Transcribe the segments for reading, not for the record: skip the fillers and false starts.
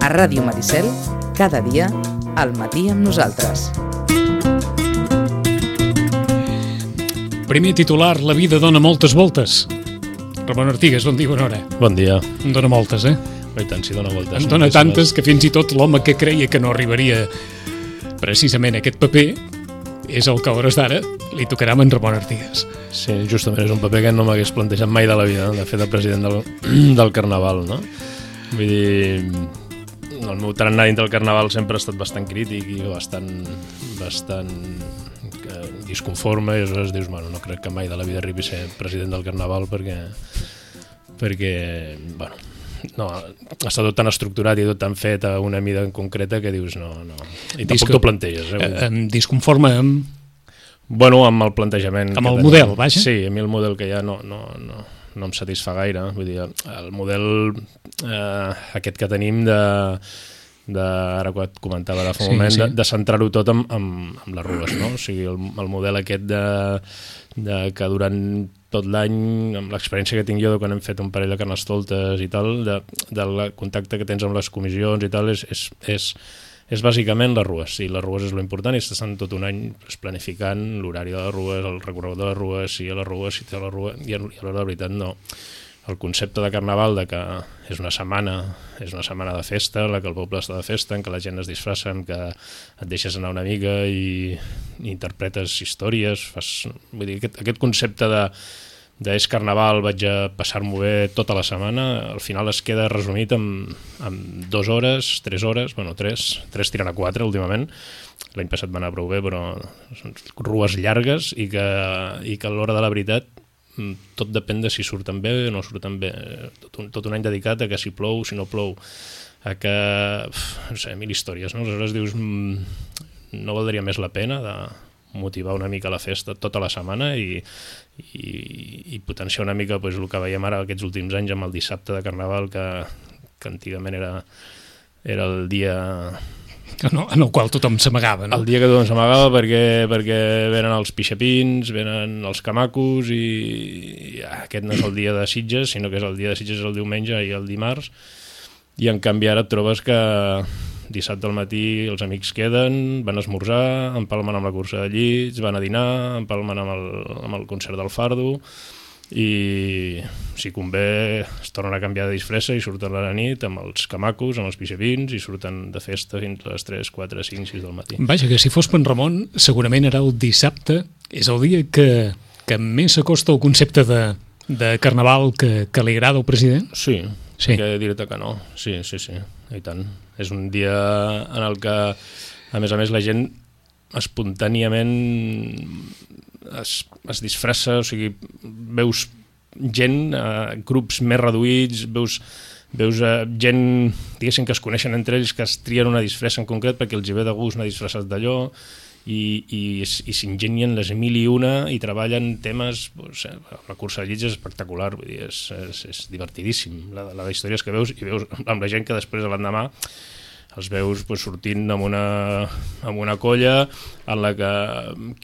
A Ràdio Maricel, cada dia, al matí amb nosaltres. Primer titular, la vida dona moltes voltes. Ramon Artigas, bon dia, bona hora. Bon dia. En dona moltes, eh? I tant, si dona voltes. En dona tantes que fins i tot l'home que creia que no arribaria precisament a aquest paper és el que a hores d'ara li tocarà amb en Ramon Artigas. Sí, justament és un paper que no m'hagués plantejat mai de la vida, de fer de president del Carnaval, no? Vull dir, el meu tarannà dintre del Carnaval sempre ha estat bastant crític i bastant disconforme, i aleshores dius, bueno, no crec que mai de la vida arribi a ser president del Carnaval perquè bueno, no, està tot tan estructurat i tot tan fet a una mida concreta que dius no. I tampoc t'ho planteges. Disconforme amb... Bueno, amb el plantejament. Amb el model, vaja? Sí, a mi el model que hi ha no em satisfà gaire. Vull dir, el model aquest que tenim ara que et comentava ara fa un moment, de centrar-ho tot amb les rues, no? O sigui, el model aquest de que durant tot l'any, amb l'experiència que tinc jo de quan hem fet un parell de carnestoltes i tal, del contacte que tens amb les comissions i tal, és bàsicament les rues. I les rues és l'important, i estàs tot un any planificant l'horari de les rues, el recorregut de les rues, si hi ha les rues, si té la rua, i a l'hora de veritat no. El concepte de Carnaval, de que és una setmana de festa, en la que el poble està de festa, en què la gent es disfressa, en què et deixes anar una mica i interpretes històries, vull dir, aquest concepte de és Carnaval, vaig a passar-m'ho bé tota la setmana, al final es queda resumit amb 2 hores, 3 hores, bueno, 3 tirant a 4 últimament. L'any passat va anar prou bé, però són rues llargues i que a l'hora de la veritat tot depèn de si surten bé o no surten bé. Tot un any dedicat a que si plou, si no plou, a que, no sé, 1000 històries, no? Aleshores dius, no valdria més la pena de motivar una mica la festa tota la setmana i potenciar una mica el que veiem ara aquests últims anys amb el dissabte de Carnaval, que antigament era el dia... en el qual tothom s'amagava, no? El dia que tothom s'amagava perquè venen els pixapins, venen els camacos i aquest no és el dia de Sitges, sinó que és el dia de Sitges el diumenge i el dimarts, i en canvi ara et trobes que dissabte al matí els amics queden, van a esmorzar, empalmen amb la cursa de llits, van a dinar, empalmen amb el concert del Fardo, i si convé es tornen a canviar de disfressa i surten a la nit amb els camacos, amb els pixapins, i surten de festa fins a les 3, 4, 5, 6 del matí. Vaja, que si fos per en Ramon, segurament era el dissabte, és el dia que més s'acosta al concepte de Carnaval que li agrada al president? Sí. Que dir-te que no, sí, i tant. És un dia en el que, a més la gent espontàniament es disfressa, o sigui, veus gent, grups més reduïts, veus gent, diguéssim, que es coneixen entre ells, que es trien una disfressa en concret perquè els hi ve de gust anar disfressat d'allò, i s'ingenien les 1001 i treballen temes, la cursa de llits és espectacular, vull dir, és divertidíssim la històries que veus, i veus amb la gent que després l'endemà els veus sortint amb una colla en la que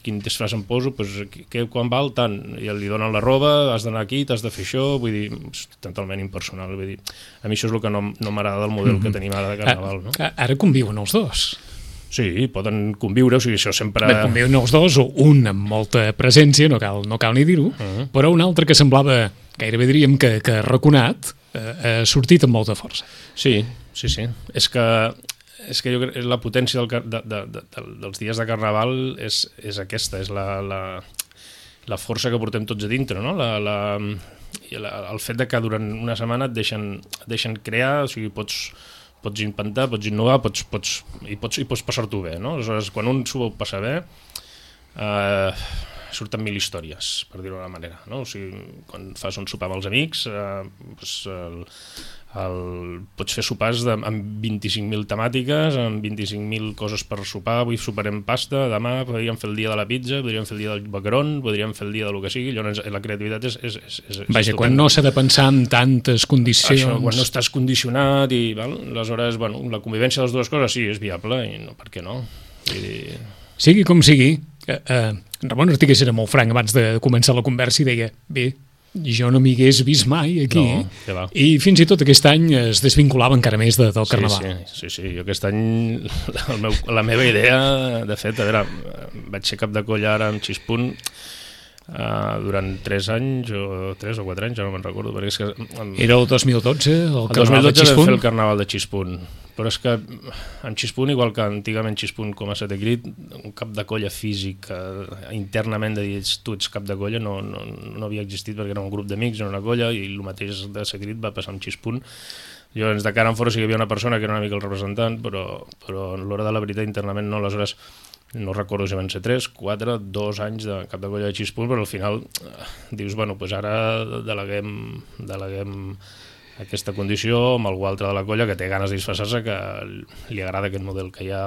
quin disfraç em poso, quan val tant, i li donen la roba, has d'anar aquí, t'has de fer això, vull dir, és totalment impersonal, vull dir, a mi això és el que no m'agrada del model que tenim ara de Carnaval, no? Ara conviuen els dos. Sí, poden conviure, o sigui, això sempre... Bé, conviuen els dos, o un amb molta presència, no cal ni dir-ho, però un altre que semblava, gairebé diríem que raconat, ha sortit amb molta força. Sí. És que jo crec que la potència dels dies de Carnaval és aquesta, és la força que portem tots a dintre, no? El fet de que durant una setmana et deixen crear, o sigui, pots inventar, pots innovar, i pots passar-t'ho bé, no? Aleshores, quan un s'ho passa bé, surten 1000 històries, per dir-ho d'una manera, no? O sigui, quan fas un sopar amb els amics, pots fer sopars amb 25.000 temàtiques, amb 25.000 coses per sopar. Avui soparem pasta, demà podríem fer el dia de la pizza, podríem fer el dia del macaron, podríem fer el dia del que sigui. Llavors la creativitat és vaja, quan no s'ha de pensar en tantes condicions. Això, quan no estàs condicionat, i aleshores la convivència de les dues coses sí, és viable, i no, per què no? Sigui com sigui, Ramon Artigas era molt franc abans de començar la conversa i deia, bé, jo no m'hi hagués vist mai aquí, No, què va. i fins i tot aquest any es desvinculava encara més del Carnaval. Sí, jo aquest any, la meva idea, de fet, a veure, vaig ser cap de coll ara amb Xispunt durant 3 anys o 3 o 4 anys, ja no me'n recordo, perquè és que... Era el 2012, el Carnaval de 2012 vam Xispunt. fer el Carnaval de Xispunt, però és que amb Xispunt, igual que antigament Xispunt com a Setecrit, un cap de colla físic internament de dir tu ets cap de colla no havia existit, perquè era un grup d'amics, era una colla, i el mateix de Setecrit va passar amb Xispunt. Llavors, de cara en fora sí que hi havia una persona que era una mica el representant, però a l'hora de la veritat internament no. Aleshores, no recordo si van ser 3, 4, 2 anys de cap de colla de Xispunt, però al final dius, bueno, doncs ara deleguem aquesta condició amb algú altre de la colla que té ganes de disfressar-se, que li agrada aquest model que hi ha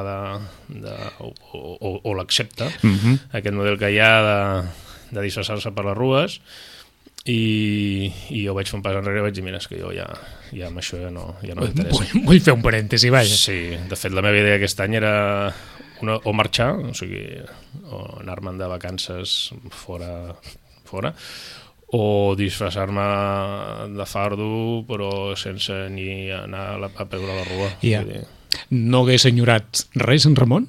o l'accepta, aquest model que hi ha de disfressar-se per les rues, i jo vaig fer un pas enrere i vaig dir, mira, és que jo ja amb això ja no m'interessa. Vull fer un parèntesi, vaja. Sí, de fet la meva idea aquest any era o marxar, o sigui, o anar-me'n de vacances fora, o disfressar-me de fardo però sense ni anar a veure la rua. Yeah. No hagués enyorat res, en Ramon?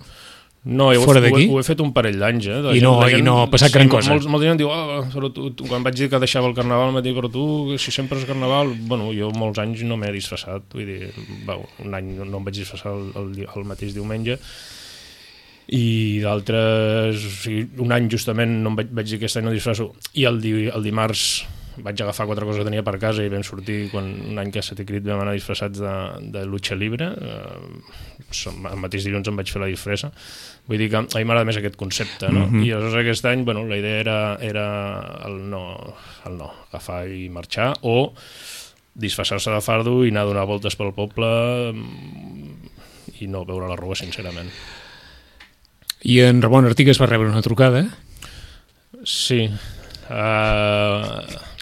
No, ho he fet un parell d'anys. I no ha passat gran cosa. Molta gent diu, però tu, quan vaig dir que deixava el Carnaval, em va dir, però tu, si sempre és Carnaval... Bueno, jo molts anys no m'he disfressat, vull dir, un any no em vaig disfressar el mateix diumenge, i d'altres, o sigui, un any justament no em vaig dir aquest any no disfresso, i el dimarts vaig agafar 4 coses que tenia per casa i vam sortir un any que a Setecrit vam anar disfressats de lucha libre, el mateix dilluns em vaig fer la disfressa, vull dir que a mi m'agrada més aquest concepte, no? I aleshores aquest any, bueno, la idea era el no, agafar i marxar, o disfressar-se de fardo i anar a donar voltes pel poble i no veure la rua, sincerament. I en Ramon Artigas va rebre una trucada? Sí.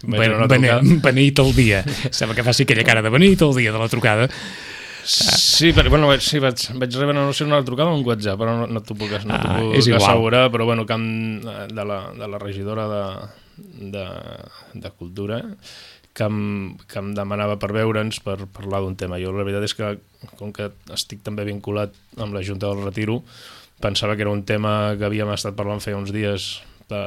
Beneït el dia. Sembla que faci aquella cara de beneït el dia de la trucada. Sí, però bueno, vaig rebre una trucada o un WhatsApp, però no t'ho puc assegurar, però bueno, de la regidora de Cultura, que em demanava per veure'ns, per parlar d'un tema. Jo la veritat és que, com que estic també vinculat amb la Junta del Retiro, pensava que era un tema que havíem estat parlant feia uns dies de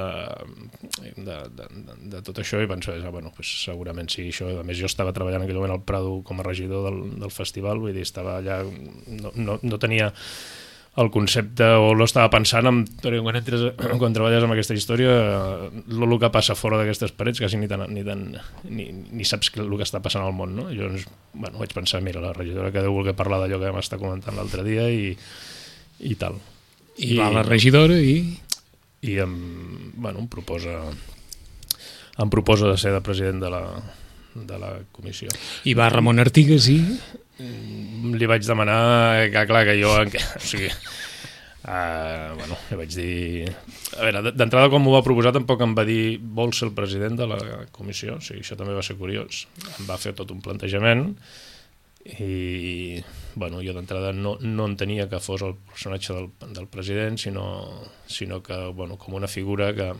tot això, i pensava, bueno, pues segurament sí, això. A més, jo estava treballant en aquell moment al Prado com a regidor del festival, vull dir, estava allà, no tenia el concepte, o no estava pensant quan treballes amb aquesta història, el que passa fora d'aquestes parets, quasi ni saps el que està passant al món, no? Jo, bueno, vaig pensar, mira, la regidora que deu voler parlar d'allò que vam estar comentant l'altre dia i tal. I va la regidora i em proposa de ser de president de la comissió. I va Ramon Artigas i... Li vaig demanar que, clar, que jo... O sigui, bueno, li vaig dir... A veure, d'entrada, quan m'ho va proposar, tampoc em va dir vols ser el president de la comissió. O sigui, això també va ser curiós. Em va fer tot un plantejament i, bueno, jo d'entrada no entenia que fos el personatge del president, sinó que, bueno, com una figura que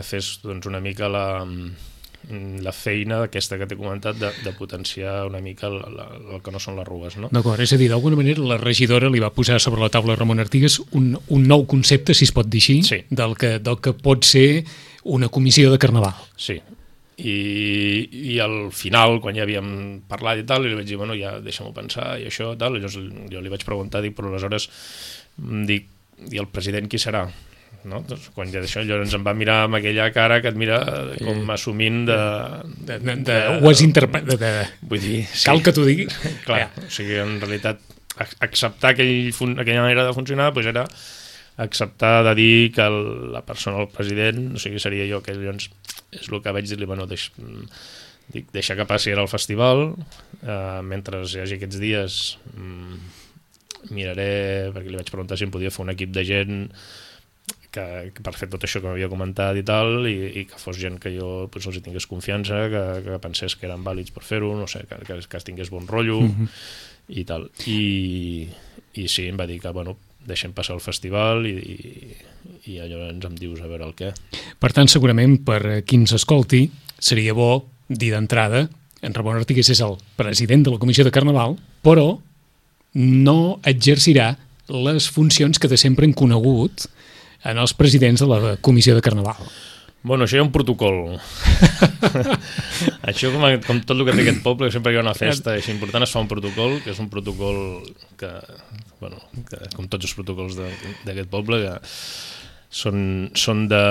fes, doncs, una mica la feina aquesta que t'he comentat de potenciar una mica el que no són les rues, no? D'acord, és a dir, d'alguna manera la regidora li va posar sobre la taula a Ramon Artigas un nou concepte, si es pot dir així, sí, del que pot ser una comissió de Carnaval. Sí, i al final, quan ja havíem parlat i tal, li vaig dir, bueno, ja deixa'm-ho pensar i això, tal, i jo li vaig preguntar, però aleshores dic, i el president qui serà? No? Doncs, quan ja d'això, llavors em va mirar amb aquella cara que et mira com assumint ho has interpretat, vull dir, sí, cal que t'ho digui. Clar, o sigui, en realitat acceptar aquella manera de funcionar doncs era acceptar de dir que la persona, el president, o sigui, seria jo, que llavors és el que vaig dir-li, bueno, deixa que passi ara el festival, mentre hi hagi aquests dies miraré, perquè li vaig preguntar si em podia fer un equip de gent que per fer tot això que m'havia comentat i tal, i que fos gent que jo doncs, els tingués confiança, que pensés que eren vàlids per fer-ho, no sé, que es tingués bon rotllo i tal. I sí, em va dir que, bueno, deixem passar el festival i llavors em dius a veure el què. Per tant, segurament, per qui ens escolti, seria bo dir d'entrada, en Ramon Artigues és el president de la Comissió de Carnaval, però no exercirà les funcions que de sempre hem conegut en els presidents de la Comissió de Carnaval. Bueno, això hi ha un protocol. Això com tot el que té aquest poble, que sempre hi ha una festa així important, es fa un protocol, que és un protocol que com tots els protocols d'aquest poble, que són de...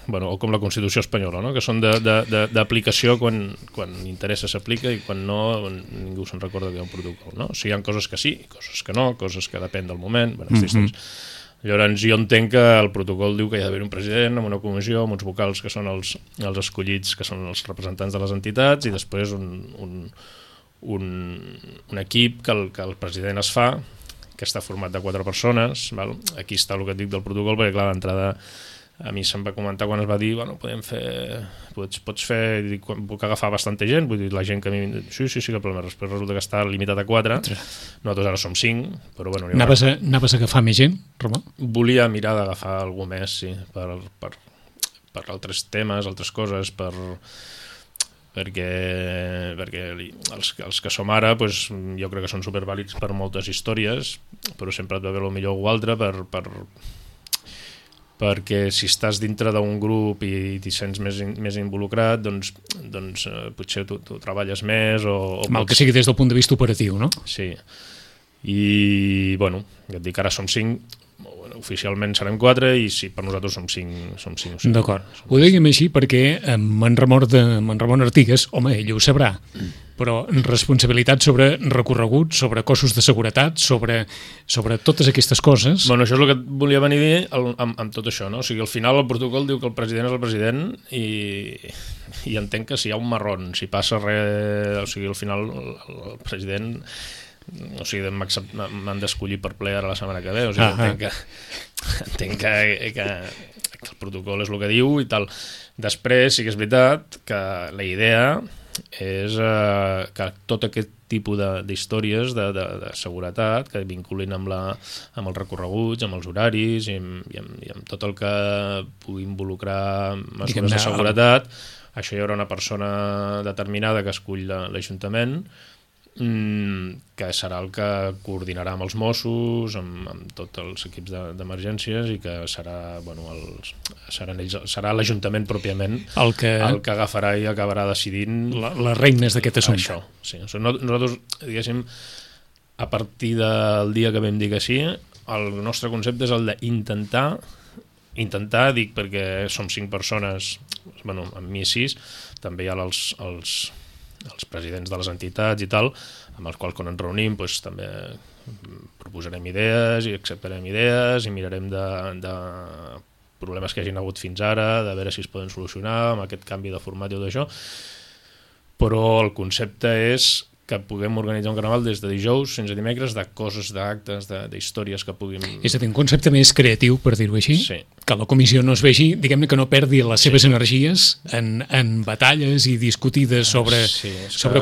Bueno, o com la Constitució espanyola, no? Que són d'aplicació quan interessa s'aplica i quan no ningú se'n recorda que hi ha un protocol, no? O sigui, hi ha coses que sí, coses que no, coses que depèn del moment. Bueno, llavors jo entenc que el protocol diu que hi ha d'haver un president amb una comissió, amb uns vocals que són els escollits, que són els representants de les entitats, i després un equip que el president es fa, que està format de 4 persones, val? Aquí està el que et dic del protocol, perquè clar, d'entrada a mi se'm va comentar quan es va dir, bueno, pots fer, puc agafar bastanta gent, vull dir, la gent que a mi... Sí, cap problema, després resulta que està limitat a 4, nosaltres ara som 5, però bueno... Anaves a agafar més gent, Romà? Volia mirar d'agafar algú més, sí, per altres temes, altres coses, perquè els que som ara, doncs, jo crec que són supervàlids per moltes històries, però sempre et va haver el millor o altre perquè si estàs dintre d'un grup i t'hi sents més involucrat, doncs potser tu treballes més o mal que sigui des del punt de vista operatiu, no? Sí. I, bueno, ja et dic, ara som 5, oficialment serem 4 i sí, per nosaltres som 5 o 6. D'acord. Ho dèiem així perquè en Ramon Artigues, home, ell ho sabrà, però responsabilitat sobre recorregut, sobre cossos de seguretat, sobre totes aquestes coses... Bueno, això és el que volia venir a dir amb tot això, no? O sigui, al final el protocol diu que el president és el president i entenc que si hi ha un marrón, si passa res... O sigui, al final el president... O sigui, m'han d'escollir per ple ara la setmana que ve, o sigui, entenc que el protocol és el que diu i tal. Després sí que és veritat que la idea és que tot aquest tipus d'històries de seguretat que vinculin amb els recorreguts, amb els horaris i amb tot el que pugui involucrar mesures de seguretat, això hi haurà una persona determinada que escull l'Ajuntament, que serà el que coordinarà amb els Mossos, amb tots els equips d'emergències i que serà l'Ajuntament pròpiament el que agafarà i acabarà decidint les regnes d'aquest assumpte. Això, sí. Nosaltres, diguéssim, a partir del dia que vam dir que sí, el nostre concepte és el d'intentar, dic perquè som 5 persones, bueno, amb mi 6, també hi ha els presidents de les entitats i tal, amb els quals quan ens reunim doncs, també proposarem idees i acceptarem idees i mirarem de problemes que hagin hagut fins ara, de veure si es poden solucionar amb aquest canvi de format i tot això, però el concepte és que puguem organitzar un carnaval des de dijous fins a dimecres de coses, d'actes, d'històries que puguin... És a dir, un concepte més creatiu, per dir-ho així, sí. Que la comissió no es vegi, diguem-ne que no perdi les seves energies en batalles i discutides sobre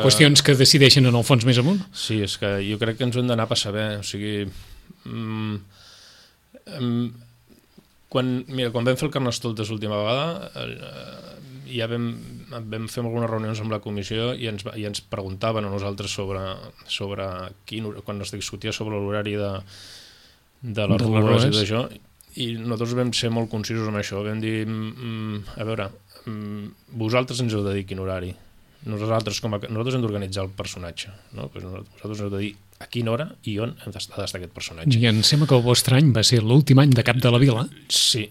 qüestions que decideixen en el fons més amunt. Sí, és que jo crec que ens ho hem d'anar a passar bé, o sigui... Quan vam fer el Carnestoltes l'última vegada... ja vam fer algunes reunions amb la comissió i ens preguntaven a nosaltres sobre quan es discutia sobre l'horari de les rues i d'això, i nosaltres vam ser molt concisos amb això, vam dir a veure, vosaltres ens heu de dir quin horari, nosaltres hem d'organitzar el personatge, no? Pues nosaltres hem de dir a quina hora i on ha d'estar aquest personatge. I em sembla que el vostre any va ser l'últim any de cap de la vila. Sí,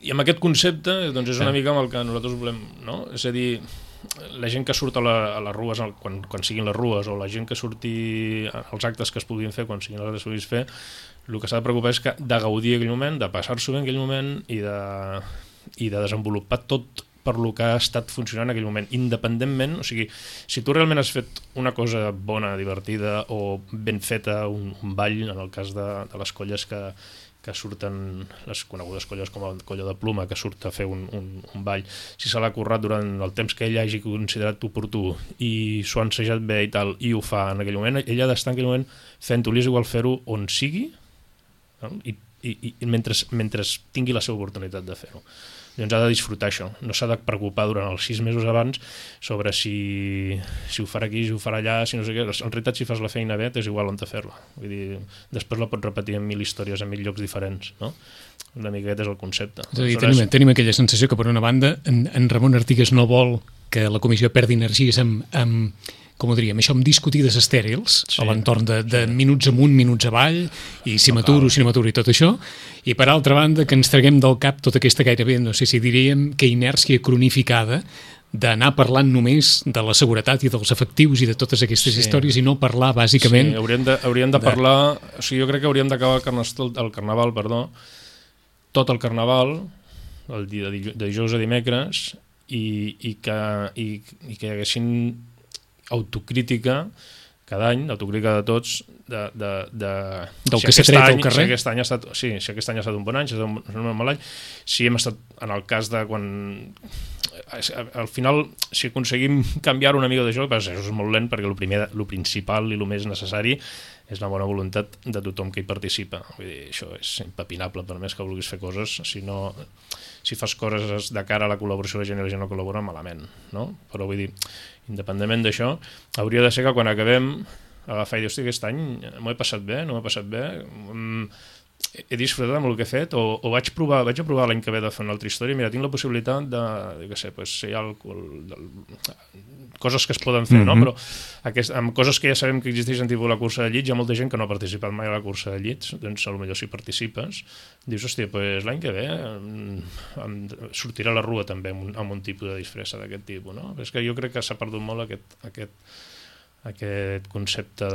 i amb aquest concepte doncs és una mica amb el que nosaltres volem, no? És a dir, la gent que surt a les rues quan siguin les rues o la gent que surti als actes que es puguin fer quan siguin els actes que es puguin fer, el que s'ha de preocupar és de gaudir aquell moment, de passar-s'ho bé en aquell moment i de desenvolupar tot per lo que ha estat funcionant en aquell moment, independentment, o sigui, si tu realment has fet una cosa bona, divertida o ben feta, un ball, en el cas de les colles que que surten les conegudes colles com el Colló de Pluma, que surt a fer un ball, si se l'ha currat durant el temps que ell hagi considerat oportú i s'ho ha ensejat bé i tal, i ho fa en aquell moment, ell ha d'estar en aquell moment fent-ho, li és igual fer-ho on sigui, no? I mentre tingui la seva oportunitat de fer-ho. Llavors ha de disfrutar això, no s'ha de preocupar durant els 6 mesos abans sobre si ho farà aquí, si ho farà allà, si no sé què. En realitat, si fas la feina bé, és igual on te fer-la. Vull dir, després la pots repetir en 1000 històries, en 1000 llocs diferents, no? Una mica aquest és el concepte. És a dir, tenim aquella sensació que, per una banda, en Ramon Artigues no vol que la comissió perdi energies amb com ho diríem, això amb discutides estèrils a l'entorn de minuts amunt, minuts avall, i si m'aturo i tot això, i per altra banda que ens traguem del cap tota aquesta gairebé, no sé si diríem, que inèrcia cronificada d'anar parlant només de la seguretat i dels efectius i de totes aquestes històries i no parlar bàsicament... Sí, hauríem de parlar... O sigui, jo crec que hauríem d'acabar el carnaval, tot el carnaval, el dia de dijous a dimecres, i que hi haguessin autocrítica cada any, autocrítica de tots del que s'ha tret al carrer. Si aquest any ha estat un bon any, si ha estat un mal any, si hem estat en el cas de quan al final, si aconseguim canviar una mica d'això, això és molt lent perquè el principal i el més necessari és la bona voluntat de tothom que hi participa. Vull dir, això és impepinable, per més que vulguis fer coses, si fas coses de cara a la col·laboració de la gent i la gent no col·labora, malament, no? Però vull dir, independentment d'això, hauria de ser que quan acabem agafar i dir, hosti, aquest any m'ho he passat bé, no m'he passat bé, he disfrutat amb el que he fet, o vaig a provar l'any que ve de fer una altra història, mira, tinc la possibilitat de, jo què sé, si hi ha coses que es poden fer, no? Però amb coses que ja sabem que existeixen, tipus la cursa de llits, hi ha molta gent que no ha participat mai a la cursa de llits, doncs potser si participes dius, hòstia, doncs l'any que ve sortirà la rua també amb un tipus de disfressa d'aquest tipus, no? És que jo crec que s'ha perdut molt aquest concepte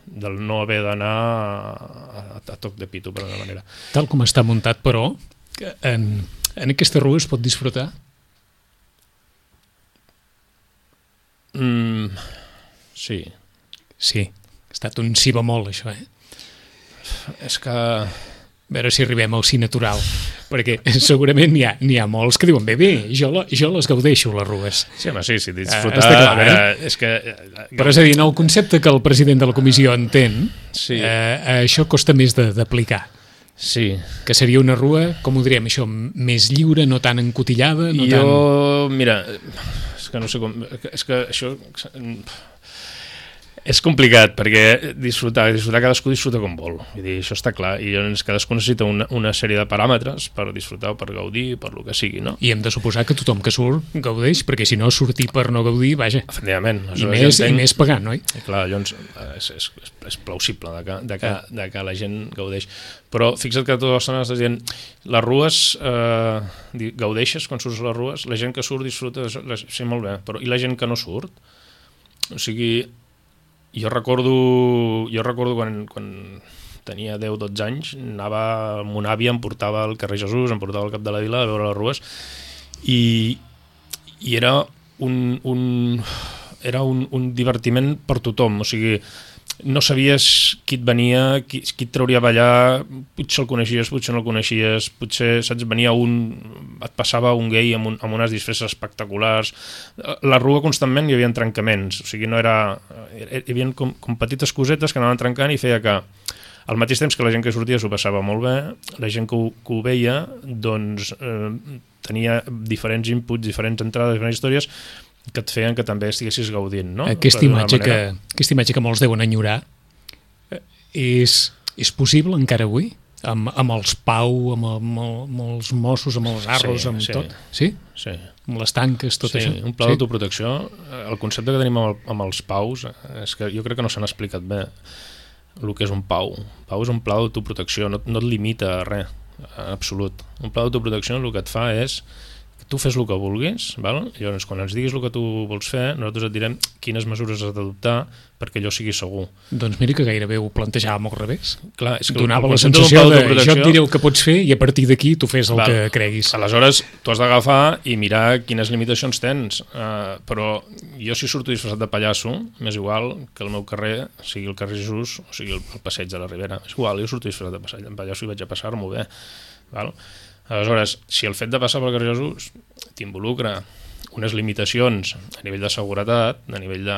del no haver d'anar a toc de pito, per una manera. Tal com està muntat, però, en aquesta rua es pot disfrutar? Sí. Sí, ha estat un sí bemol, això, És que... A veure si arribem al sí natural, perquè segurament n'hi ha molts que diuen, bé, jo les gaudeixo, les rues. Sí, home, sí, disfrutar... Està clar, és que... Però és a dir, en el concepte que el president de la comissió entén, això costa més d'aplicar. Sí. Que seria una rua, com ho diríem, això, més lliure, no tan encotillada, no tan... Mira, és que no sé com... És que això... És complicat, perquè disfrutar cadascú disfruta com vol. Vull dir, això està clar. I llavors cadascú necessita una sèrie de paràmetres per disfrutar o per gaudir, per lo que sigui, no? I hem de suposar que tothom que surt gaudeix, perquè si no sortir per no gaudir, vaja. Efectivament. I més pagant, oi? I clar, llavors és plausible de que la gent gaudeix. Però fixa't que tota l'estona estàs dient les rues, gaudeixes quan surts a les rues, la gent que surt disfruta, sí, molt bé, però i la gent que no surt? O sigui... Jo recordo quan tenia 10-12 anys, anava amb una àvia, em portava al carrer Jesús, em portava al Cap de la Vila a veure les rues, i era un divertiment per tothom. O sigui, no sabies qui et venia, qui et trauria a ballar, potser el coneixies, potser no el coneixies, potser, saps, venia et passava un gay amb unes disfresses espectaculars. La rua constantment hi havia trencaments, o sigui, no era... Hi havia com petites cosetes que anaven trencant i feia que al mateix temps que la gent que sortia s'ho passava molt bé, la gent que ho veia doncs tenia diferents inputs, diferents entrades, diferents històries que et feien que també estiguessis gaudint, no? Aquesta imatge que molts deuen enyorar és possible encara avui? Amb els Pau, amb els Mossos, amb els Arros, amb tot? Sí? Sí. Amb les tanques, tot això? Sí, un pla d'autoprotecció. El concepte que tenim amb els Paus és que jo crec que no s'han explicat bé el que és un Pau. Pau és un pla d'autoprotecció, no et limita a res, en absolut. Un pla d'autoprotecció el que et fa és tu fes el que vulguis, val? Llavors quan ens diguis el que tu vols fer, nosaltres et direm quines mesures has d'adoptar perquè allò sigui segur. Doncs mira que gairebé ho plantejàvem al revés. Clar, és que donava la sensació de jo et diré el que pots fer i a partir d'aquí tu fes el que creguis. Aleshores, tu has d'agafar i mirar quines limitacions tens, però jo si surto disfressat de pallasso, m'és igual que el meu carrer sigui el carrer Jesús o sigui el passeig de la Ribera. És igual, jo surto disfressat de pallasso i vaig a passar-m'ho bé. Val? Aleshores, si el fet de passar pel carrer Jesús t'involucra unes limitacions a nivell de seguretat, a nivell de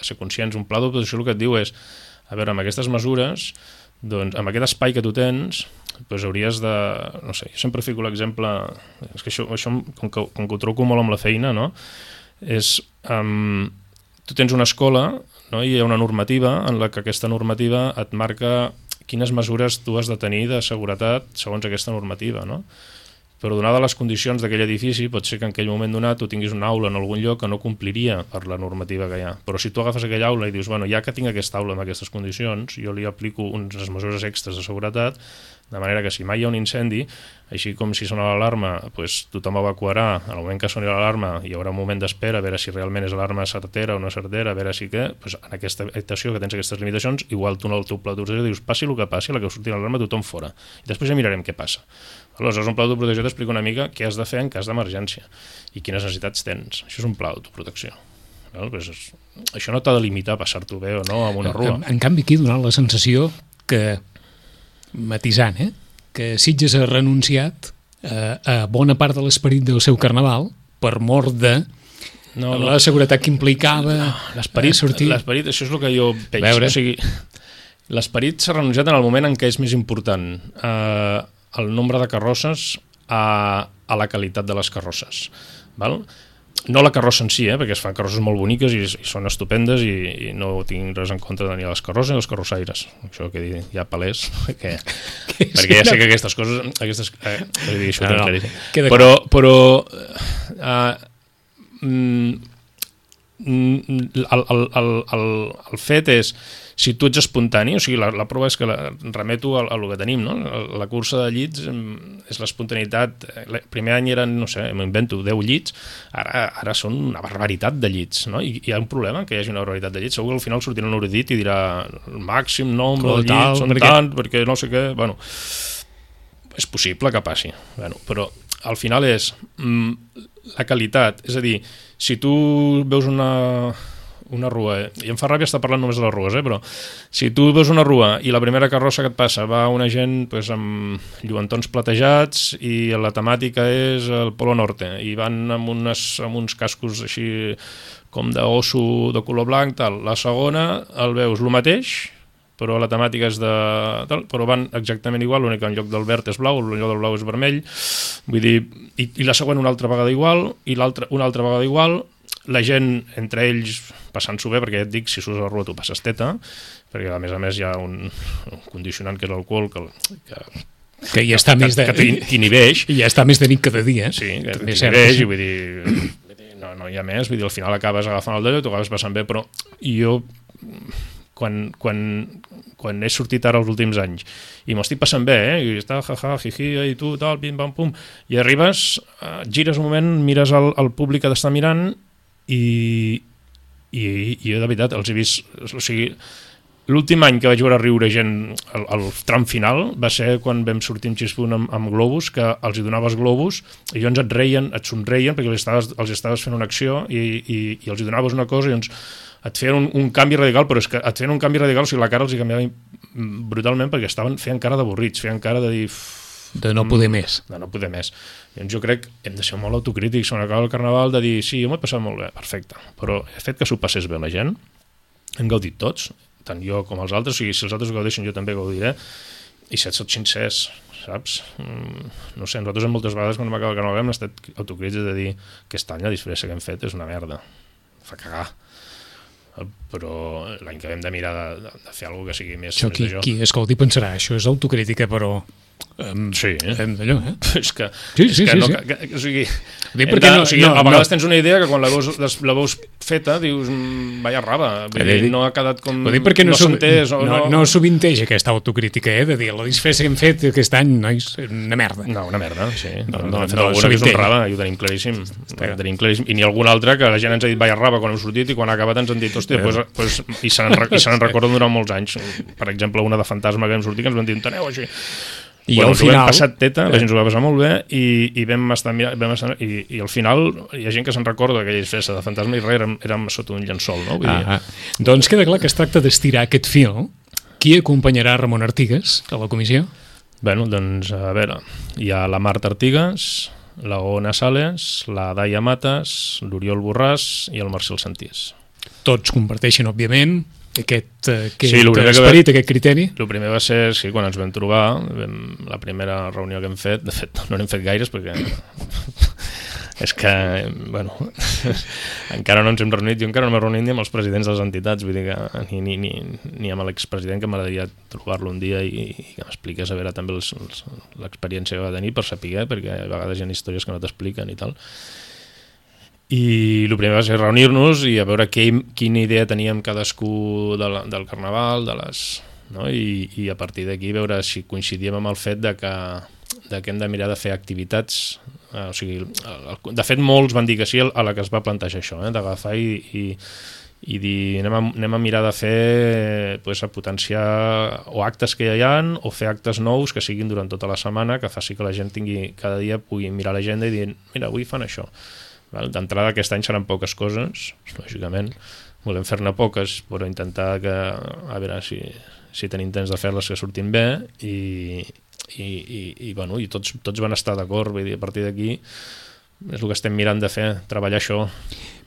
ser conscients, un pla d'oposició el que et diu és, a veure, amb aquestes mesures, doncs, amb aquest espai que tu tens, doncs hauries de... No sé, jo sempre fico l'exemple... És que això com que ho trobo molt amb la feina, no? És... tu tens una escola, no? I hi ha una normativa en la que aquesta normativa et marca quines mesures tu has de tenir de seguretat segons aquesta normativa, no? Però donades les condicions d'aquell edifici, pot ser que en aquell moment donat tu tinguis una aula en algun lloc que no compliria per la normativa que hi ha. Però si tu agafes aquella aula i dius, bueno, ja que tinc aquesta aula amb aquestes condicions, jo li aplico unes mesures extres de seguretat, de manera que si mai hi ha un incendi, així com si sona l'alarma, doncs tothom evacuarà, al moment que soni l'alarma hi haurà un moment d'espera, a veure si realment és alarma certera o no certera, a veure si què, doncs en aquesta habitació que tens aquestes limitacions, igual tu en el teu pla d'ordenació dius, passi el que passi, a la que surti l'alarma tothom fora. I després ja mirarem què passa. Aleshores, un pla d'autoprotecció t'explica una mica què has de fer en cas d'emergència i quines necessitats tens. Això és un pla d'autoprotecció. Això no t'ha de limitar a passar-t'ho bé o no amb una rua. En canvi, aquí donava la sensació que, matisant, que Sitges ha renunciat a bona part de l'esperit del seu carnaval per mort de la seguretat que implicava sortir. L'esperit, això és el que jo veig. O sigui, l'esperit s'ha renunciat en el moment en què és més important el nombre de carrosses a la qualitat de les carrosses. Val? No la carrossa en si, perquè es fan carrosses molt boniques i són estupendes i no tinc res en contra de ni les carrosses ni els carrossaires. Això que ja palès, perquè ja sé que aquestes coses... Però el fet és, si tu ets espontani, o sigui, la prova és que remeto a el que tenim, no? La cursa de llits és l'espontaneïtat. El primer any eren, no sé, m'invento 10 llits, ara són una barbaritat de llits, no? I hi ha un problema que hi hagi una barbaritat de llits. Segur que al final sortirà un erudit i dirà el màxim nombre de llits són tant, perquè no sé què... Bueno, és possible que passi, però al final és la qualitat, és a dir, si tu veus una rua, i em fa ràbia estar parlant només de les rues, però si tu veus una rua i la primera carrossa que et passa va una gent amb lluentons platejats i la temàtica és el Polo Norte i van amb uns cascos així com d'osso de color blanc, tal. La segona el veus el mateix, però la temàtica és però van exactament igual, l'únic que en lloc del verd és blau, en lloc del blau és vermell, vull dir, i la següent una altra vegada igual, i l'altra una altra vegada igual, la gent, entre ells, passant-s'ho bé, perquè ja et dic, si surts a la rua tu passes teta, perquè a més hi ha un condicionant que és l'alcohol que ja està més de... que t'inhibeix. I ja està més de nit cada dia. Sí, que t'inhibeix, i vull dir, no hi ha més, vull dir, al final acabes agafant el dedo i t'ho acabes passant bé, però jo... Quan he sortit ara els últims anys i m'ho estic passant bé, i està jiji, i tu, tal, pim, pam, pum, i arribes, gires un moment, mires el públic que t'està mirant i jo de veritat els he vist, o sigui, l'últim any que vaig veure riure gent al tram final va ser quan vam sortir amb Xispunt amb globus, que els hi donaves globus i llavors et somreien perquè els estaves fent una acció i els hi donaves una cosa i llavors et feien un canvi radical, però és que et feien un canvi radical, o sigui, la cara els hi canviava brutalment perquè feien cara d'avorrits, feien cara de dir... De no poder més. De no poder més. Llavors jo crec que hem de ser molt autocrítics quan acaba el carnaval, de dir, sí, jo m'ho he passat molt bé, perfecte, però el fet que s'ho passés bé la gent, hem gaudit tots, tant jo com els altres, o sigui, si els altres ho gaudeixen jo també gaudiré, i si et sots sincers, saps? No sé, nosaltres moltes vegades quan acaba el carnaval hem estat autocrítics de dir que aquest any la disfressa que hem fet és una merda, fa cagar. Però l'any que hem de mirar de fer alguna que sigui més això qui escolti pensarà, això és autocrítica, però Sí. Allò, És que... Sí. O sigui, a vegades tens una idea que quan la veus feta dius, vaya raba, no ha quedat com... No s'ha entès. No sovinteix aquesta autocrítica, de dir, la disfressa que hem fet aquest any, nois, una merda. No, una merda, sí. No alguna que és un raba, i ho tenim claríssim. I ni algun altre que la gent ens ha dit vaya raba quan hem sortit i quan ha acabat ens han dit, hòstia, i se n'en recorden durant molts anys. Per exemple, una de Fantasma que hem sortit que ens van dir, enteneu així. I al final... Vam passat teta, la gent s'ho va passar molt bé i vam estar mirant, i al final hi ha gent que se'n recorda aquella disfressa de Fantasma i res, érem sota un llençol, no? Vull dir... Doncs queda clar que es tracta d'estirar aquest fil. Qui acompanyarà Ramon Artigas a la comissió? Bueno, doncs, a veure, hi ha la Marta Artigas, la Ona Sales, la Daia Matas, l'Oriol Borràs i el Marcel Santís. Tots comparteixen, òbviament, aquest esperit, aquest criteri? El primer va ser, quan ens vam trobar, la primera reunió que hem fet, de fet no n'hem fet gaires perquè és que, bueno, encara no ens hem reunit, jo encara no m'he reunit ni amb els presidents de les entitats, vull dir que ni amb l'expresident, que m'agradaria trobar-lo un dia i que m'expliqués a veure també l'experiència que va tenir per saber, perquè a vegades hi ha històries que no t'expliquen i tal. I el primer va ser reunir-nos i a veure quina idea teníem cadascú del carnaval, no? I a partir d'aquí veure si coincidíem amb el fet de que hem de mirar de fer activitats, o sigui, de fet molts van dir que sí a la que es va plantejar això, d'agafar i dir anem a mirar de fer, a potenciar o actes que ja hi ha o fer actes nous que siguin durant tota la setmana, que faci que la gent cada dia pugui mirar l'agenda i dir, mira, avui fan això. D'entrada aquest any seran poques coses, lògicament volem fer-ne poques, però intentar que a veure si tenim temps de fer-les que surtin bé i tots van estar d'acord, vull dir, a partir d'aquí és el que estem mirant de fer, treballar això.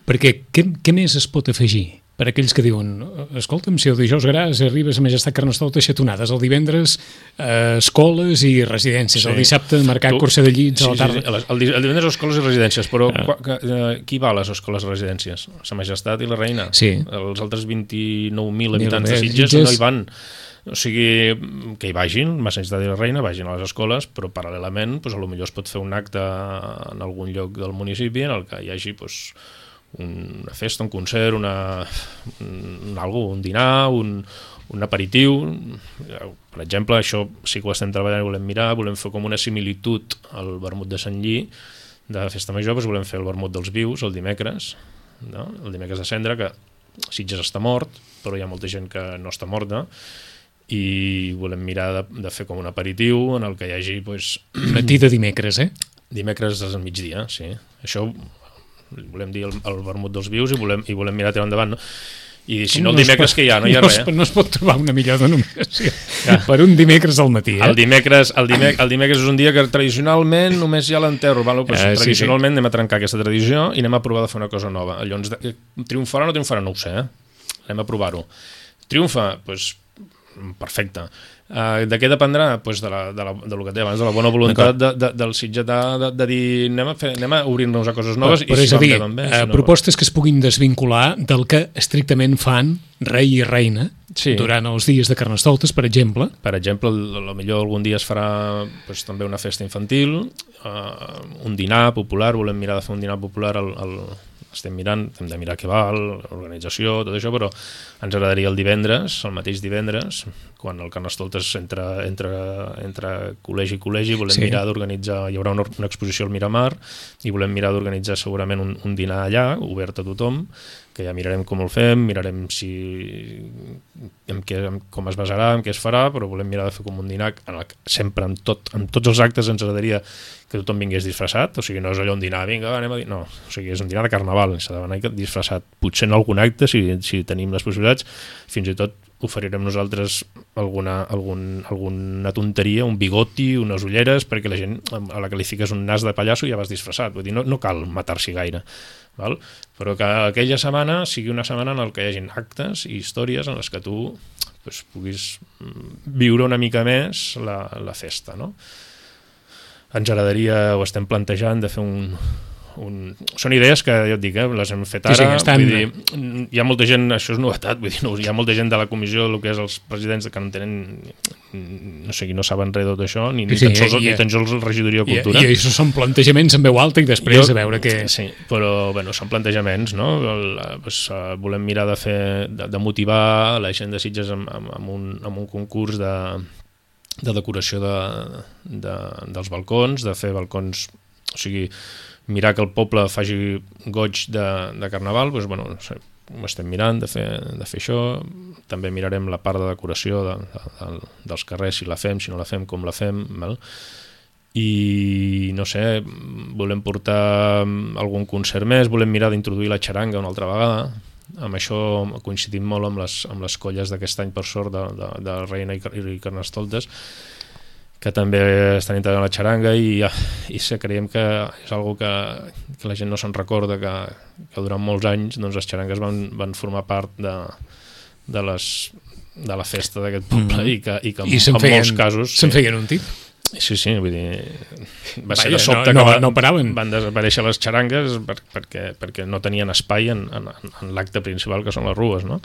Perquè què més es pot afegir? Per aquells que diuen, escolta'm, si el dijous gras arriba a Majestat Carnestoltes xatonades, el divendres escoles i residències, el dissabte marcar cursa de llits a la tarda. El divendres escoles i residències, però qui va a les escoles i residències? Sa Majestat i la Reina. Sí. Els altres 29.000 habitants de Sitges no hi van. O sigui, que hi vagin, Sa Majestat i la Reina, vagin a les escoles, però paral·lelament potser es pot fer un acte en algun lloc del municipi en el que hi hagi una festa, un concert, un dinar, un aperitiu. Per exemple, això sí que ho estem treballant i volem mirar, volem fer com una similitud al vermut de Sant Lli de Festa Major, volem fer el vermut dels vius el dimecres, no? El dimecres de Cendra, que Sitges està mort, però hi ha molta gent que no està morta, i volem mirar de fer com un aperitiu en el que hi hagi... Matí de dimecres, Dimecres al migdia, sí. Això volem dir el vermut dels vius i volem mirar tirar endavant, no? I si no el dimecres que hi ha, no hi ha res. No es pot trobar una millor denominació per un dimecres al matí. El dimecres és un dia que tradicionalment només hi ha l'enterro. Tradicionalment anem a trencar aquesta tradició i anem a provar de fer una cosa nova. Llavors, triomfarà o no triomfarà? No ho sé, anem a provar-ho. Triomfa? Doncs perfecte. De què dependrà? Del que té abans, de la bona voluntat del sitgetà de dir anem a obrir-nos a coses noves i si van bé. Propostes que es puguin desvincular del que estrictament fan rei i reina durant els dies de Carnestoltes, per exemple. Per exemple, potser algun dia es farà també una festa infantil, un dinar popular, volem mirar de fer un dinar popular estem mirant, hem de mirar què val, l'organització, tot això, però ens agradaria el divendres, el mateix divendres, quan el Carnestoltes entra col·legi i col·legi, volem mirar d'organitzar, hi haurà una exposició al Miramar, i volem mirar d'organitzar segurament un dinar allà, obert a tothom, que ja mirarem com el fem, mirarem com es basarà, en què es farà, però volem mirar de fer com un dinar sempre amb tots els actes ens agradaria que tothom vingués disfressat, o sigui, no és allò un dinar, vinga, anem a dir, no, o sigui, és un dinar de carnaval, s'ha d'anar disfressat, potser en algun acte, si tenim les possibilitats, fins i tot oferirem nosaltres alguna tonteria, un bigoti, unes ulleres, perquè la gent a la que li fiques un nas de pallasso ja vas disfressat, vull dir, no cal matar-s'hi gaire, val? Però que aquella setmana sigui una setmana en què hi hagi actes i històries en les que tu puguis viure una mica més la festa, no? Ens agradaria, o estem plantejant, de fer Són idees que, ja et dic, les hem fet ara. Sí, estan... Vull dir, hi ha molta gent, això és novetat, vull dir, hi ha molta gent de la comissió, el que és els presidents, que no tenen, no sé, no saben res de tot això, ni tan sols la regidoria de Cultura. I això són plantejaments en veu alta i després a veure què... Sí, però bueno, són plantejaments, no? Volem mirar de motivar la gent de Sitges amb un concurs de decoració dels balcons, de fer balcons, o sigui, mirar que el poble faci goig de Carnaval, doncs, bueno, ho estem mirant de fer això. També mirarem la part de decoració dels carrers, si la fem, si no la fem, com la fem, val? I no sé, volem portar algun concert més, volem mirar d'introduir la xaranga una altra vegada. Amb això coincidim molt amb les colles d'aquest any, per sort, de Reina i Carnestoltes, que també estan integrant la xaranga, i creiem que és algo que la gent no se'n recorda, que durant molts anys doncs, les xarangues van formar part de la festa d'aquest poble, i que en molts casos... Se'n feien un tip? Sí, vull dir, va ser de sobte que van desaparèixer les xarangues perquè no tenien espai en l'acte principal, que són les rues, no?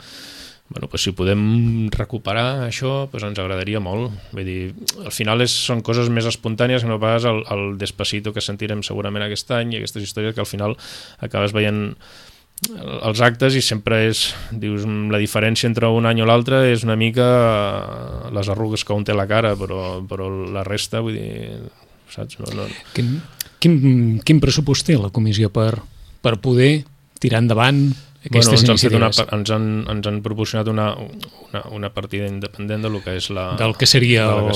Bueno, doncs si podem recuperar això, doncs ens agradaria molt. Vull dir, al final són coses més espontànies que no pas el Despacito que sentirem segurament aquest any, i aquestes històries que al final acabes veient els actes i sempre dius, la diferència entre un any o l'altre és una mica les arrugues que un té a la cara, però la resta, vull dir, saps? No. Quin pressupost té la comissió per poder tirar endavant aquestes iniciatives? Ens han proporcionat una partida independent del que és del que seria o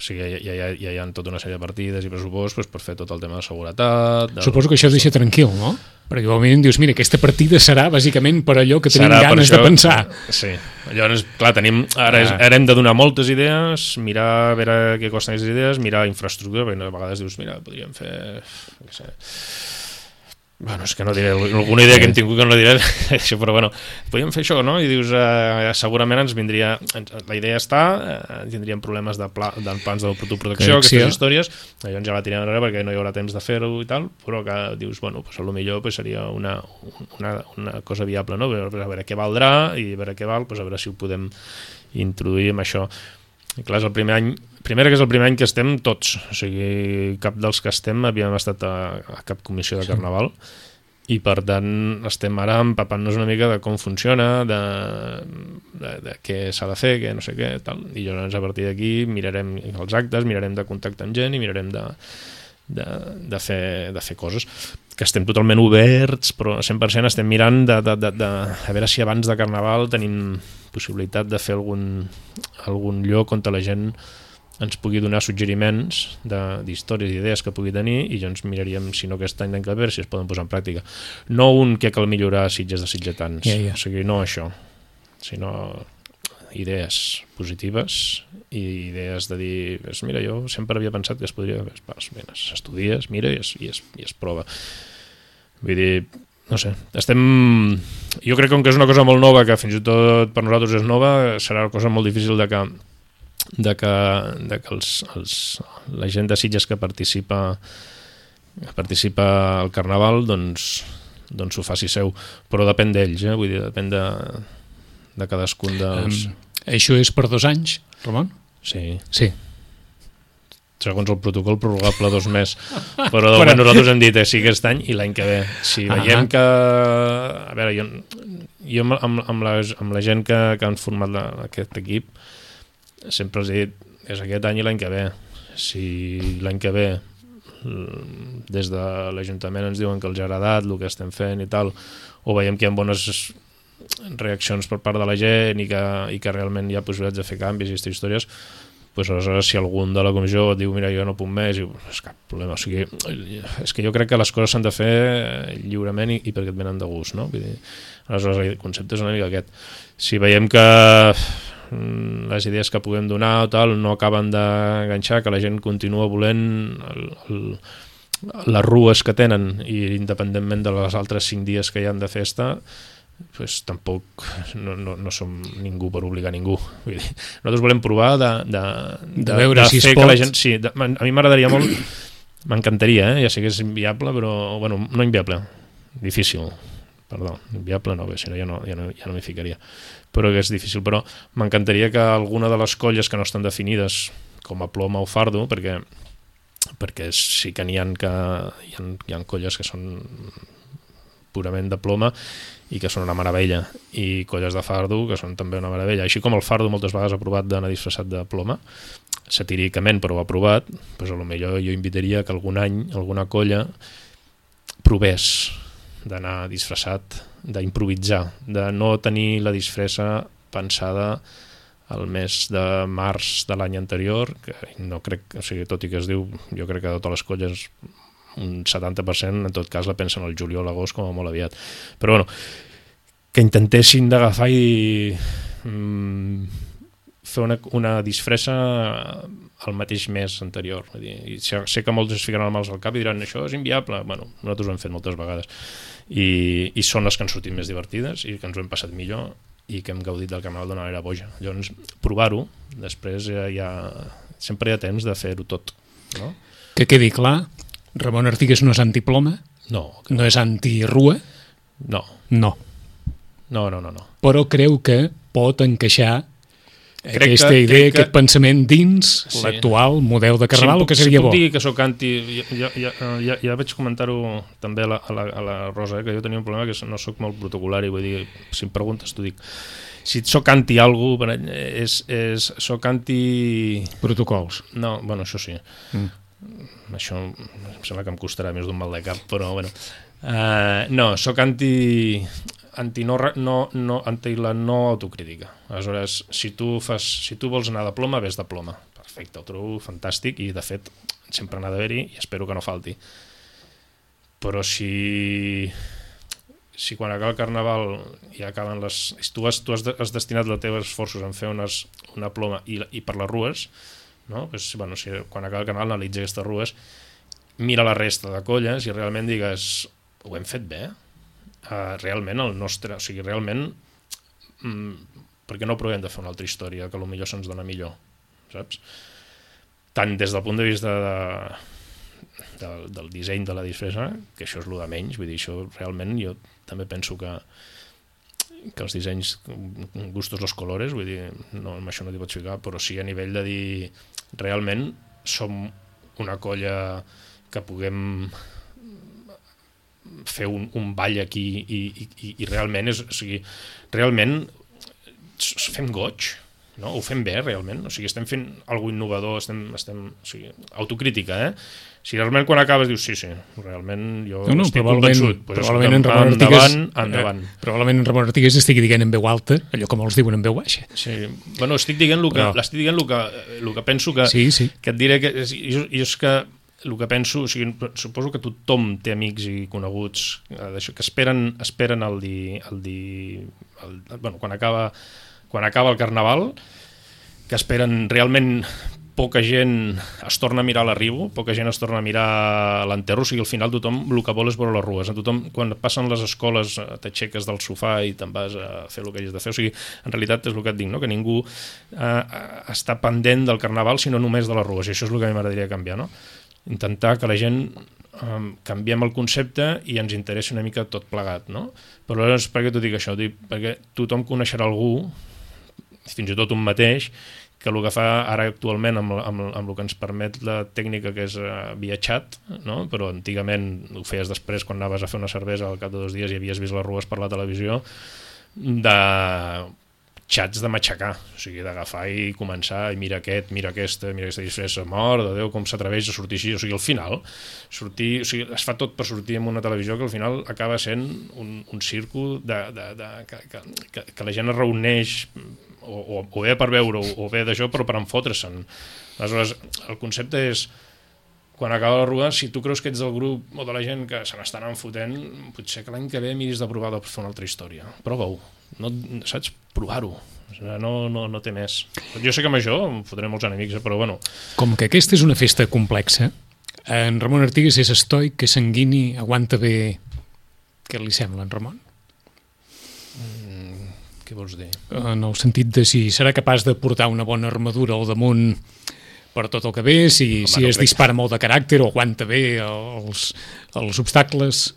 sigui, ja hi ha tota una sèrie de partides i pressupost per fer tot el tema de seguretat. Suposo que això es deixa tranquil, no? Perquè igualment dius, mira, aquesta partida serà bàsicament per allò que tenim ganes de pensar. Sí, llavors, clar, ara hem de donar moltes idees, mirar a veure què costen aquestes idees, mirar infraestructura, perquè a vegades dius, mira, podríem fer... No sé, bueno, és que no diré, alguna idea que hem tingut que no diré, però bueno, podríem fer això, no? I dius, segurament ens vindria, la idea està, tindríem problemes de plans d'autoprotecció, aquestes històries, llavors ja la tirem enrere perquè no hi haurà temps de fer-ho i tal, però que dius, bueno, pues a lo millor pues seria una cosa viable, no? A veure què valdrà, i a veure què val, pues a veure si ho podem introduir amb això. I clar, és el primer any, que és el primer any que estem tots, o sigui, cap dels que estem havíem estat a cap comissió de Carnaval, i per tant estem ara empapant-nos una mica de com funciona, de què s'ha de fer, què no sé què, tal. I llavors a partir d'aquí mirarem els actes, mirarem de contactar amb gent i mirarem de fer coses, que estem totalment oberts, però 100% estem mirant a veure si abans de Carnaval tenim possibilitat de fer algun lloc on la gent ens pugui donar suggeriments d'històries i idees que pugui tenir, i llavors miraríem, si no aquest any, l'any que ve, si es poden posar en pràctica. No un que cal millorar Sitges de sitgetans, o sigui, no això, sinó idees positives i idees de dir, mira, jo sempre havia pensat que es podria, s'estudies, mira i es prova. Vull dir, no sé, jo crec que com que és una cosa molt nova, que fins i tot per nosaltres és nova, serà una cosa molt difícil de que la gent de Sitges que participa al Carnaval doncs ho faci seu, però depèn d'ells, vull dir, depèn de cadascun dels... Això és per 2 anys, Ramon? Sí. Segons el protocol prorrogable 2 més, però de moment nosaltres hem dit sí aquest any i l'any que ve. Si veiem que... A veure, jo amb la gent que han format aquest equip sempre els he dit, és aquest any i l'any que ve. Si l'any que ve des de l'Ajuntament ens diuen que els ha agradat el que estem fent i tal, o veiem que hi ha bones reaccions per part de la gent i que realment hi ha possibilitats de fer canvis i aquestes històries, doncs aleshores si algun de la comissió diu mira, jo no puc més, és cap problema. O sigui, és que jo crec que les coses s'han de fer lliurement i perquè et venen de gust, no? Vull dir, aleshores el concepte és una mica aquest. Si veiem que les idees que puguem donar o tal no acaben d'enganxar, que la gent continua volent les rues que tenen, i independentment de les altres 5 dies que hi han de festa, pues tampoc no som ningú per obligar ningú. Vull dir, nosaltres volem provar de veure si es pot. La gent, sí, a mi m'agradaria molt, m'encantaria, ja sé que és inviable, però bueno, no inviable, difícil, perdó, inviable no, si no ja no m'hi ficaria, però que és difícil, però m'encantaria que alguna de les colles que no estan definides com a ploma o fardo, perquè sí que n'hi ha colles que són purament de ploma i que són una meravella, i colles de fardo que són també una meravella, així com el fardo moltes vegades ha provat d'anar disfressat de ploma satíricament, però ho ha provat, doncs potser jo invitaria que algun any alguna colla provés d'anar disfressat, d'improvisar, de no tenir la disfressa pensada el mes de març de l'any anterior, que no crec, o sigui, tot i que es diu, jo crec que de totes les colles un 70% en tot cas la pensen al juliol, l'agost com a molt aviat, però bueno, que intentessin d'agafar i fer una disfressa el mateix mes anterior. Vull dir, i sé que molts es ficaran mals al cap i diran això és inviable, bueno, nosaltres ho hem fet moltes vegades i són les que han sortit més divertides i que ens ho hem passat millor i que hem gaudit del Carnaval d'una manera boja. Llavors, provar-ho, després sempre hi ha temps de fer-ho tot, no? Que quedi clar, Ramon Artigues no és antiploma? No. No és antirua? No. No. No. Però creu que pot encaixar aquesta idea, aquest pensament dins l'actual model de Carnaval, o que seria bo? Si puc dir que soc anti... Ja vaig comentar-ho també a la Rosa, que jo tenia un problema que no soc molt protocolari, vull dir, si em preguntes t'ho dic. Si soc anti algú, soc anti... Protocols. No, bueno, això sí. Això em sembla que em costarà més d'un mal de cap, però bueno. No, soc anti la no autocrítica. Aleshores, si tu vols anar de ploma, ves de ploma. Perfecte, ho trobo fantàstic i de fet sempre n'ha d'haver-hi i espero que no falti. Però si quan acaba el Carnaval i acaben tu has destinat els teus esforços en fer una ploma i per les rues, no? Pues, bueno, si quan acaba el Carnaval analitza aquestes rues, mira la resta de colles i realment digues ho hem fet bé, realment el nostre, o sigui, realment perquè no provem de fer una altra història que potser se'ns dona millor, saps? Tant des del punt de vista del disseny de la disfressa, que això és el de menys, vull dir, això realment jo també penso que els dissenys, gustos los colores, vull dir, no, amb això no t'hi pots ficar, però sí a nivell de dir realment som una colla que puguem fer un ball aquí i realment o sigui, realment fem goig, no? Ho fem bé realment, o sigui, estem fent alguna innovador, estem o sigui, autocrítica, si realment quan acabes dius sí, realment jo estic convençut, probablement endavant. Probablement en Ramon Artigues estigui dient en veu alta allò que molts diuen en veu baixa. Sí, bueno, estic dient el que penso que et diré que jo és que el que penso, o sigui, suposo que tothom té amics i coneguts que esperen bueno, quan acaba el Carnaval, que esperen realment poca gent es torna a mirar l'arribo, poca gent es torna a mirar l'enterro, o sigui, al final tothom el que vol és veure les rues. Tothom, quan passen les escoles, t'aixeques del sofà i te'n vas a fer el que hagis de fer. O sigui, en realitat és el que et dic, no? Que ningú està pendent del Carnaval, sinó només de les rues, i això és el que a mi m'agradaria canviar, no? Intentar que la gent canviem el concepte i ens interessi una mica tot plegat, no? Però llavors, per què t'ho dic això? Perquè tothom coneixerà algú, fins i tot un mateix, que el que fa ara actualment amb el que ens permet la tècnica que és via xat, no? Però antigament ho feies després quan anaves a fer una cervesa al cap de 2 dies i havies vist les rues per la televisió, de xats de matxacar, o sigui, d'agafar i començar i mira aquesta disfressa, mort de Déu, com s'atreveix a sortir així, o sigui, al final es fa tot per sortir en una televisió que al final acaba sent un circo que la gent es reuneix o bé per veure o bé d'això, però per enfotre's-se'n. Aleshores, el concepte és quan acaba la rua, si tu creus que ets del grup o de la gent que se n'estan enfotent, potser que l'any que ve miris de provar de fer una altra història. Prova-ho, saps? Provar-ho. No té més. Jo sé que amb això em fotré molts enemics, però bueno. Com que aquesta és una festa complexa, en Ramon Artigues és estoic, que sanguini, aguanta bé... Què li sembla, en Ramon? Què vols dir? En el sentit de si serà capaç de portar una bona armadura al damunt per tot el que ve, si es dispara molt de caràcter o aguanta bé els obstacles.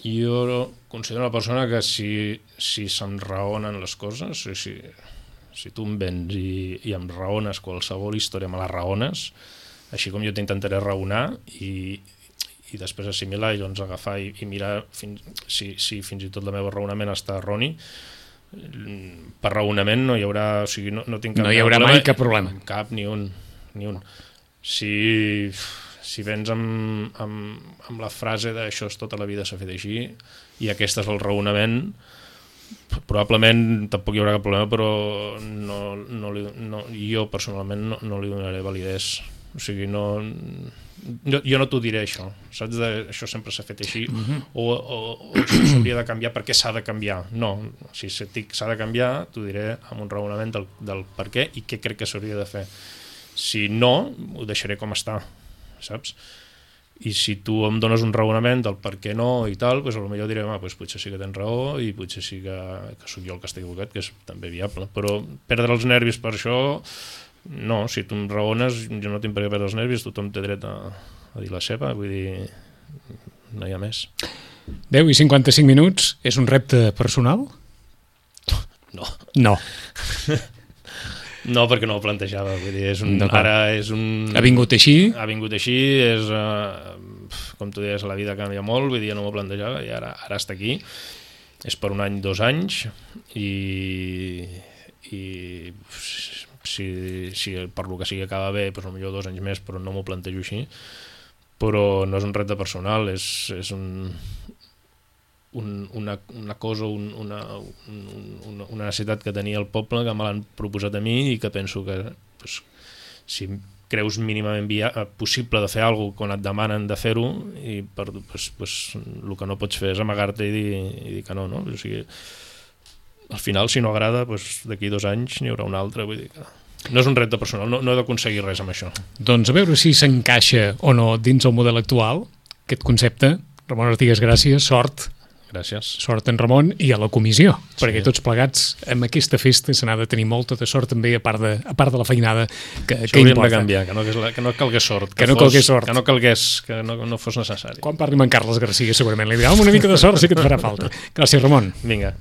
Jo considero una persona que si se'm raonen les coses, si tu em vens i em raones qualsevol història, me la raones, així com jo t'intentaré raonar i després assimilar i llavors agafar i mirar si fins i tot el meu raonament està erroni. Per raonament no hi haurà, o sigui, no tinc cap no hi haurà mai cap problema. Cap, ni un. Si vens amb la frase d'això és tota la vida s'ha fet així i aquest és el raonament, probablement tampoc hi haurà cap problema, però jo personalment no li donaré validesa. O sigui, jo no t'ho diré això, saps? Això sempre s'ha fet així, o això s'hauria de canviar perquè s'ha de canviar. No, si s'ha de canviar, t'ho diré amb un raonament del per què i què crec que s'hauria de fer. Si no, ho deixaré com està, saps? I si tu em dones un raonament del per què no i tal, doncs potser diré, potser sí que tens raó i potser sí que sóc jo el que està equivocat, que és també viable. Però perdre els nervis per això, no, si tu em raones, jo no tinc per què perdre els nervis, tothom té dret a dir la seva, vull dir, no hi ha més. 10 i 55 minuts, és un repte personal? No. No, perquè no ho plantejava, vull dir, ara és un... Ha vingut així? Ha vingut així, és, com tu deies, la vida canvia molt, vull dir, no m'ho plantejava i ara està aquí, és per 1 any, 2 anys, i si per lo que sigui acaba bé, doncs potser 2 anys més, però no m'ho plantejo així, però no és un repte personal, és una cosa, una necessitat que tenia el poble, que me l'han proposat a mi i que penso que si creus mínimament possible de fer alguna cosa quan et demanen de fer-ho, i el que no pots fer és amagar-te i dir que no. O sigui, al final, si no agrada, d'aquí 2 anys n'hi haurà un altre, vull dir que no és un repte personal, no he d'aconseguir res amb això. Doncs a veure si s'encaixa o no dins el model actual, aquest concepte. Ramon Artigas, gràcies, sort. Gràcies. Sort en Ramon i a la comissió, perquè tots plegats amb aquesta festa se n'ha de tenir molta de sort també, a part de la feinada que hauríem importa. De canviar, que no calgués sort, que no fos necessari. Quan parli amb en Carles Garcia segurament li dirà una mica de sort sí que et farà falta. Gràcies, Ramon. Vinga.